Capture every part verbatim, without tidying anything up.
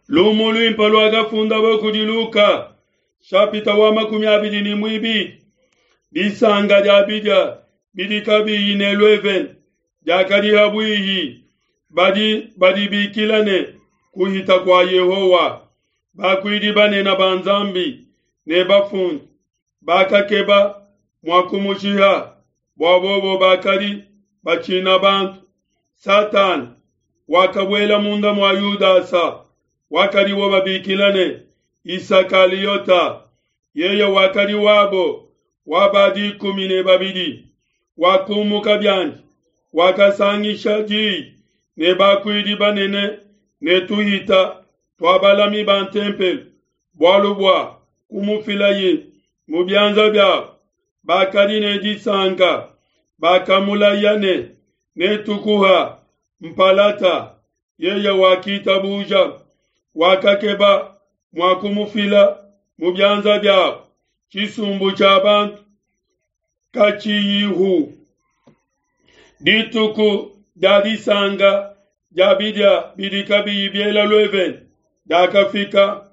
Lumu luimpe luakafundabo kudi Luka, shapita wa makumi abidi ne muibidi. Disanka dia bidia bidi kabiyi ne luevene diakadi ha buihi. Badi badibikila ne kuhita kua Yehowa. Bakuidi banene ba Nzambi ne bafundi bakakeba mua kumushiha, bua bobo bakadi batshina bantu. Satana wakabuela munda mua Yudasa, wakadibo babikila ne Isakaliota. Yeye wakadi wabo wa ba dikumi ne babidi. Wakumuka biandi, wakasangisha diyi ne bakuidi banene ne tuhita tua balami ba ntempelo, bualu bua kumufilaye mu bianza biabo. Bakadi ne disanka, bakamulaya ne, netukuha mpalata. Yeye wakitabuja, wakakeba mua kumufila mu bianza biabo. Tshisumbu tshia bantu katshiyihu. Dituku dia disanka dia bidia bidi kabiyi biela luevene diakafika,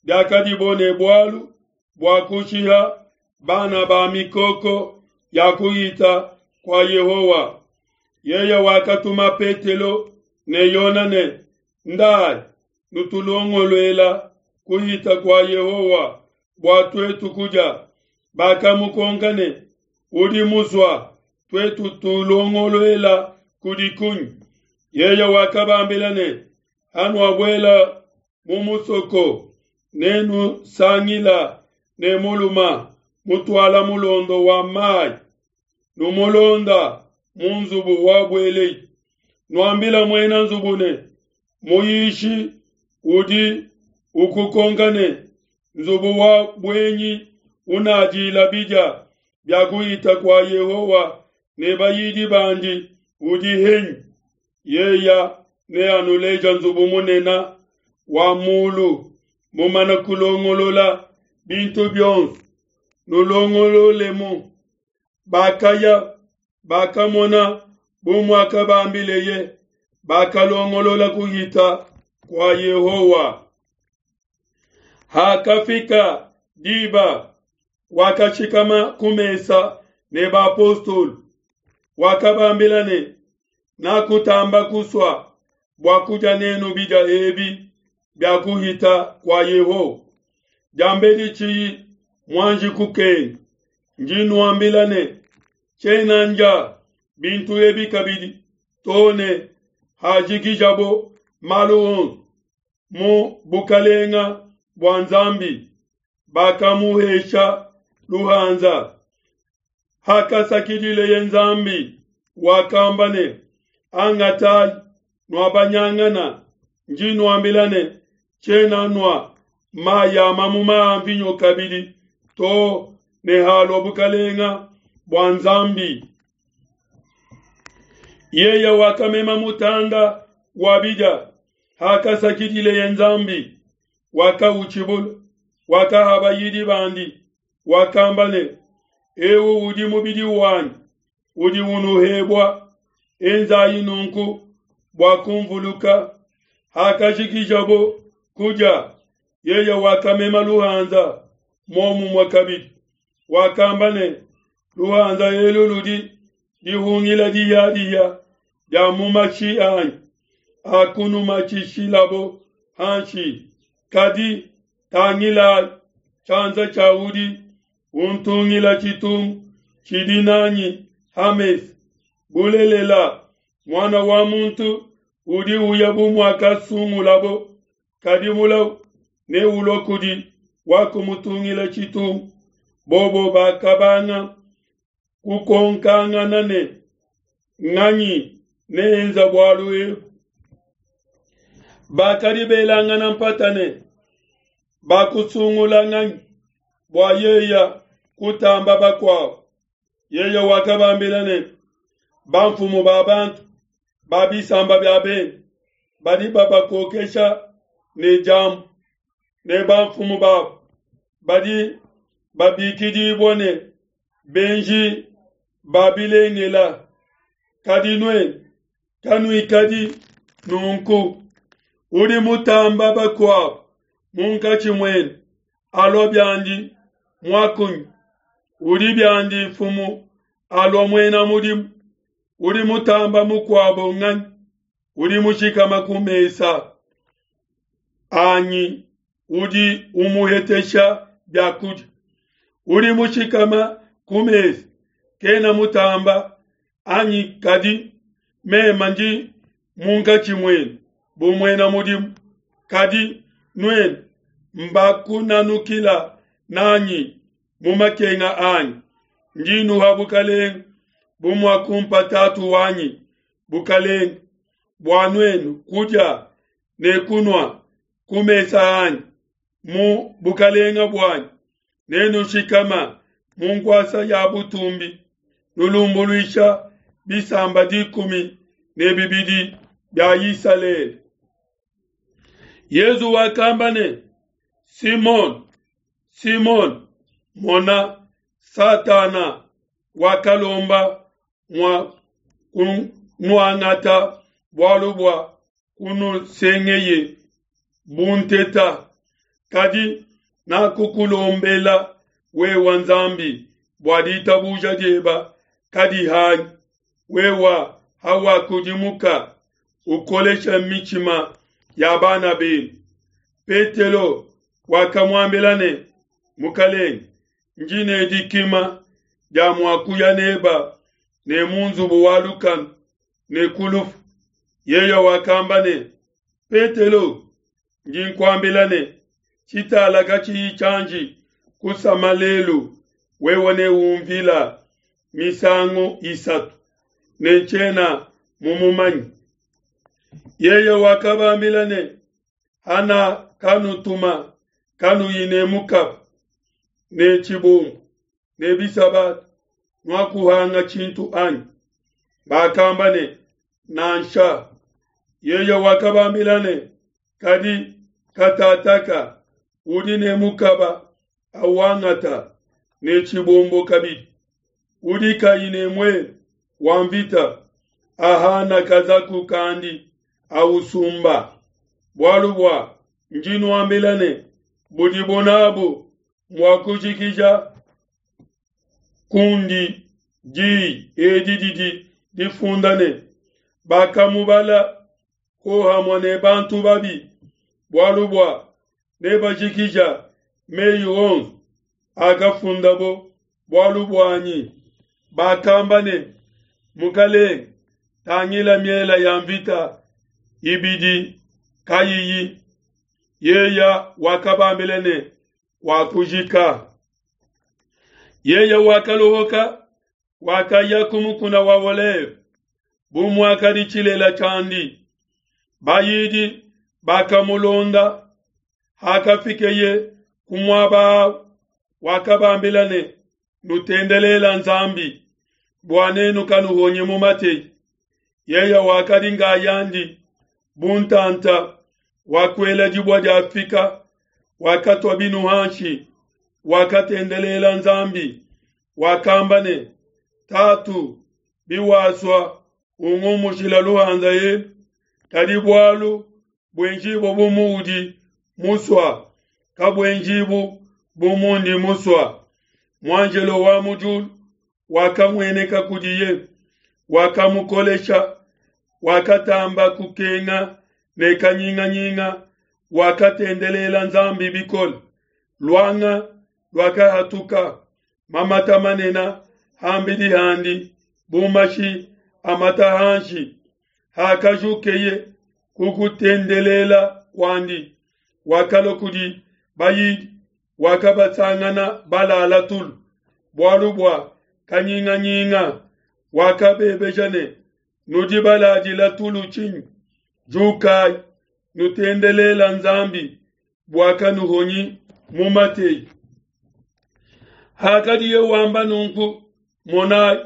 diakadibo ne bualu bua kushiha bana ba mikoko ya kuhita kua Yehowa. Yeye wakatuma Petelo ne Yone ne, ndai nutulongoluela kuhita kua Yehowa bua tuetu kudia. Bakamukonka ne, udi musua tuetu tulongoluela kudi kunyi? Yeye wakabambila ne, hanuabuela mu musoko, nenusangila ne muluma mutuala mulondo wa mai, numulonda mu nzubu wabuelei. Nuambila muena nzubu ne, muyishi udi ukukonka ne, nzubu wa buenyi unadila bidia bia kuhita kua Yehowa ne bayidi bandi udi henyi? Yeya neanuleja nzubu munene wa mulu, mumana kulongolola bintu bionso, nulongololemu. Bakaya, bakamona bu muakabambileye, bakalongolola kuhita kua Yehowa. Hakafika diba, wakashikama ku mesa ne bapostolo. Wakabambila ne, nakutamba kusua bua kudia nenu bidia ebi bia kuhita kua Yehowa, diambedi tshiyi muanji kukenga. Ndi nuambila ne, tshiena ndia bintu ebi kabidi to ne hajikijabo malu onso mu bukalenga bua Nzambi. Bakamuhesha luhanza. Hakasakidileye Nzambi, wakamba ne, angatai nuabanyangana. Ndi nuambila ne, tshiena nua mayi a mamuma a mvinyo kabidi to ne halua bukalenga bua Nzambi. Yeye wakamema mutanda wa bidia, hakasakidileye Nzambi, wakautshibula, wakaha bayidi bandi, wakamba ne, ewu udi mubidi wanyi udi unuhebua, enzayi nunku bua kumvuluka. Hakajikijabo kudia, yeye wakamema luhanza muomumue kabidi, wakamba ne, luhanza elu ludi dihungila diya-diya dia mu mashi anyi akunumatshishilabo hanshi. Kadi tangila tshianza tshia udi untungila tshitungu tshidi nanyi hamesa. Bulelela, muana wa muntu udi uya bu muakasungulabo, kadi mulau neulue kudi wakumutungila tshitungu. Bobo bakabanga kukonkangana ne, nganyi neenza bualu ebu? Bakadi belangana mpata ne, bakusungula nganyi bua yeya kutamba bakuabo? Yeye wakabambila ne, bamfumu ba bantu ba bisamba bia bende badi babakokesha ne diambu, ne bamfumu babo badi babikidibua ne benji ba bilengela. Kadi nuenu kanuikadi nunku. Udi mutamba bakuabo munkatshi muenu alua biandi muakunyi, udi biandi mfumu alua muena mudimu. Udi mutamba mukuabo nganyi? Udi mushikama ku mesa anyi udi umuhetesha bia kudia? Udi mushikama ku mesa kena mutamba anyi? Kadi meme ndi munkatshi muenu bu muena mudimu. Kadi nuenu mbakunanukila nanyi mu makenga anyi. Ndi nuha bukalenge bu muakumpa Tatu wanyi bukalenge, bua nuenu kudia ne kunua ku mesa anyi mu bukalenge buanyi, nenushikama mu nkuasa ya butumbi, nulumbuluisha bisamba dikumi ne bibidi bia Isalele. Yezu wakamba ne, Simon, Simon, mona, Satana wakalomba mua kunuangata bualu bua kunusengeye bu nteta, kadi nakukulombela wewa Nzambi bua ditabuja dieba kadihangi. Wewa hawakudimuka ukolesha mitshima ya bana benu. Petelo wakamuambila ne, Mukalenge, ndi ne dikima dia mua kuya neba ne mu nzubu wa lukanu ne ku lufu. Yeye wakamba ne, Petelo, ndi nkuambila ne, tshitala katshiyi tshianji kusama lelu, wewe neumvila misangu isatu ne tshiena mumumanye. Yeye wakabambila ne, Hana kanutuma kanuyi ne mukaba ne tshibombo ne bisabata, nuakuhanga tshintu anyi? Bakamba ne, Nansha. Yeye wakabambila ne, Kadi katataka udi ne mukaba awangata ne tshibombo kabidi, udi kayi ne muele wa mvita ahana kazaku kandi ausumba. Bualu bua ndi nuambila ne, budibo nabu mua kujikija kundi diyi edi didi difunda ne, bakamubala hohamue ne bantu babi, bualu bua nebajikija meyi onso akafundabo bualu buanyi. Bakamba ne, Mukalenge, tangila miela ya mvita ibidi kayiyi. Yeya wakabambila ne, wakujika. Yeye wakalohoka, wakaya ku mukuna wa Oleve bu muakadi tshilela tshiandi. Bayidi bakamulonda. Hakafikeye ku muaba awu, wakabambila ne, Nutendelela Nzambi bua nenu kanuhonyi mu mateyi. Yeye wakadi ngayandi bu ntanta wakuela dibua diafika, wakatua binu hanshi, wakatendelela Nzambi, wakamba ne, Tatu, biwasua ungumushila luhanza elu, kadi bualu buenjibue bu muudi musua, kabuenjibu bu mundi musua. Muanjelo wa mu diulu wakamueneka kudiye, wakamukolesha, wakatamba kukenga ne kanyinganyinga, wakatendelela Nzambi bikole. Luanga luakahatuka mamata manene hambidi handi bu mashi amata hanshi. Hakajukeye kukutendelela kuandi, wakalua kudi bayidi, wakabasangana balala tulu bualu bua kanyinganyinga. Wakabebeja ne, Nudi baladila tulu tshinyi? Jukayi, nutendelela Nzambi bua kanuhonyi mu mateyi. Hakadiye wamba nunku, monayi,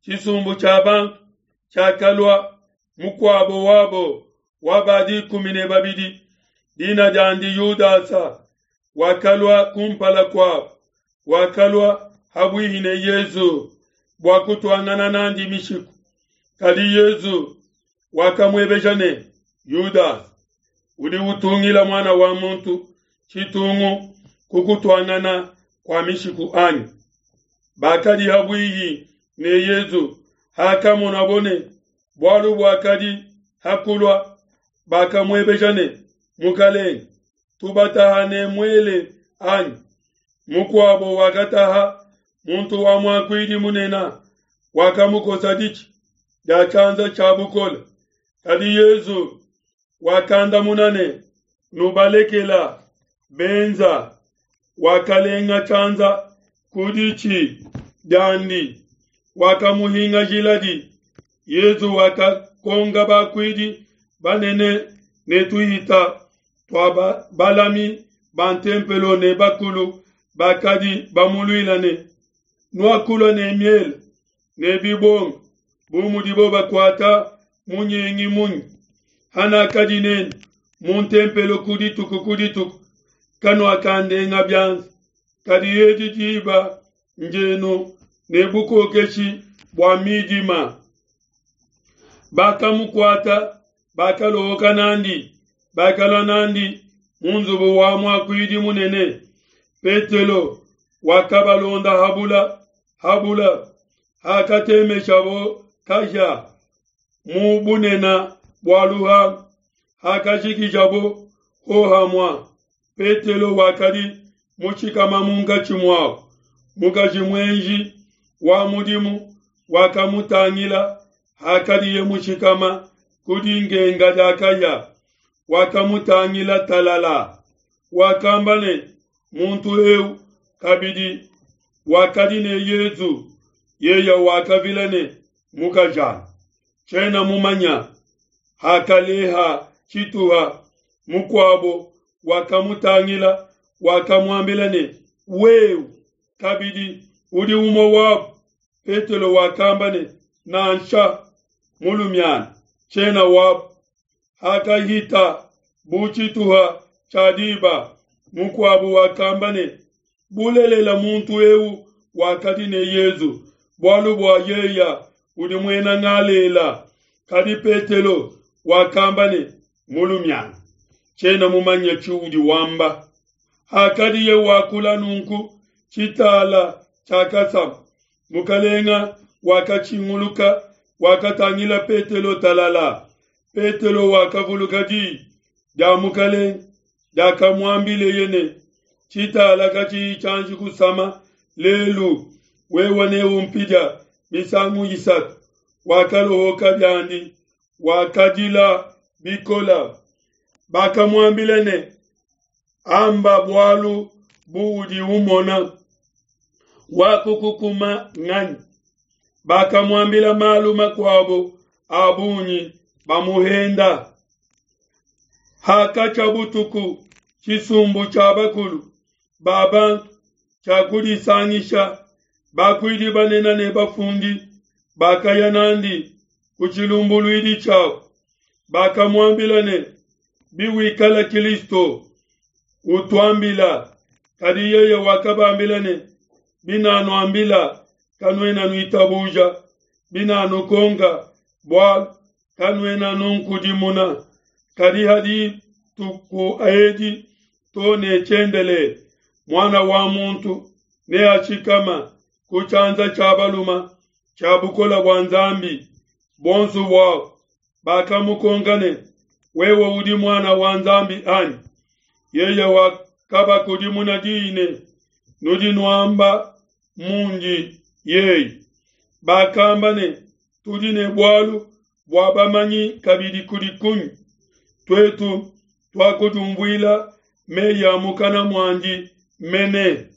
tshisumbu tshia bantu tshiakalua, mukuabo wabo wa ba dikumi ne babidi, dina diandi Yudasa, wakalua kumpala kuabo, wakalua habuihi ne Yezu bua kutuangana nandi mishiku. Kadi Yezu wakamuebeja ne, Yudasa, Udi utungila Muana wa muntu tshitungu ku kutuangana kua mishiku anyi? Bakadi ha bwihi ne Yesu, hakamonabo ne bualu buakadi hakulua, bakamuebeja ne, Mukalenge, tubataha ne muele anyi? Mukuabo wakataha muntu wa muakuidi munene, wakamukosa ditshi dia tshianza tshia bukole. Kadi Yesu wakandamuna ne, Nubalekela benza. Wakalenga tshianza ku ditshi diandi, wakamuhingajiladi. Yesu wakakonga bakuidi banene ne tuhita tua balami ba ntempelo ne bakulu bakadi bamuluila ne, Nuakulua ne miele ne bibonga bu mudibo bakuata munyengi munyi? Hanakadi nenu mu ntempelo ku dituku ku dituku, kanuakandenga bianza. Kadi edi diba ndienu ne bukokeshi bua midima. Bakamukuata, bakalohoka nandi, bakalua nandi mu nzubu wa muakuidi munene. Petelo wakabalonda habula habula, hakatemeshabo kahia mu bunene bua luhangu, hakajikijabo hohamua, Petelo wakadi mushikama munkatshi muabo. Mukaji muenji wa mudimu wakamutangila hakadiye mushikama ku dingenga dia kahia, wakamutangila talala, wakamba ne, muntu eu kabidi wakadi ne Yesu. Yeye wakavila ne, mukajanyi, tshiena mumanya. Hakaleha tshituha, mukuabo wakamutangila, wakamuambila ne, wewe kabidi udi umue wabo. Petelo wakamba ne, nansha, mulumiana, tshiena wabo. Hakahita bu tshituha tshia diba, mukuabo wakamba ne, bulelela muntu eu wakadi ne Yesu, bualu bua yeya udi muena Galela. Kadi Petelo wakamba ne, mulumiana, tshiena mumanye tshiudi wamba. Hakadiye wakula nunku, tshitala tshiakasama. Mukalenga wakatshinguluka, wakatangila Petelo talala. Petelo wakavuluka diyi dia Mukalenga diakamuambileye ne, tshitala katshiyi tshianji kusama lelu, wewe neumpidia misangu isatu. Wakalohoka biandi, wakadila bikola. Bakamuambila ne, amba bualu buudi umona, wakukukuma nganyi? Bakamuambila malu makuabo a bungi bamuhenda. Hakatshia butuku, tshisumbu tshia bakulu ba bantu tshiakudisangisha, bakuidi banene ne bafundi bakaya nandi ku tshilumbuluidi tshiabo. Bakamuambila ne, biwikala Kristo, utuambila. Kadi yeye wakabambila ne, binanuambila kanuena nuitabuja, binanukonka bualu kanuena nunkudimuna. Kadi hadituku edi to ne tshiendelele, Muana wa muntu neashikama ku tshianza tshia baluma tshia bukole bua Nzambi. Bonso buabo bakamukonka ne, wewe udi Muana wa Nzambi anyi? Yeye wakabakudimuna diyi ne, nudi nuamba mundi yeye. Bakamba ne, tudi ne bualu bua bamanyi kabidi kudi kunyi? Tuetu tuakudiumvuila meyi a mukana muandi mene.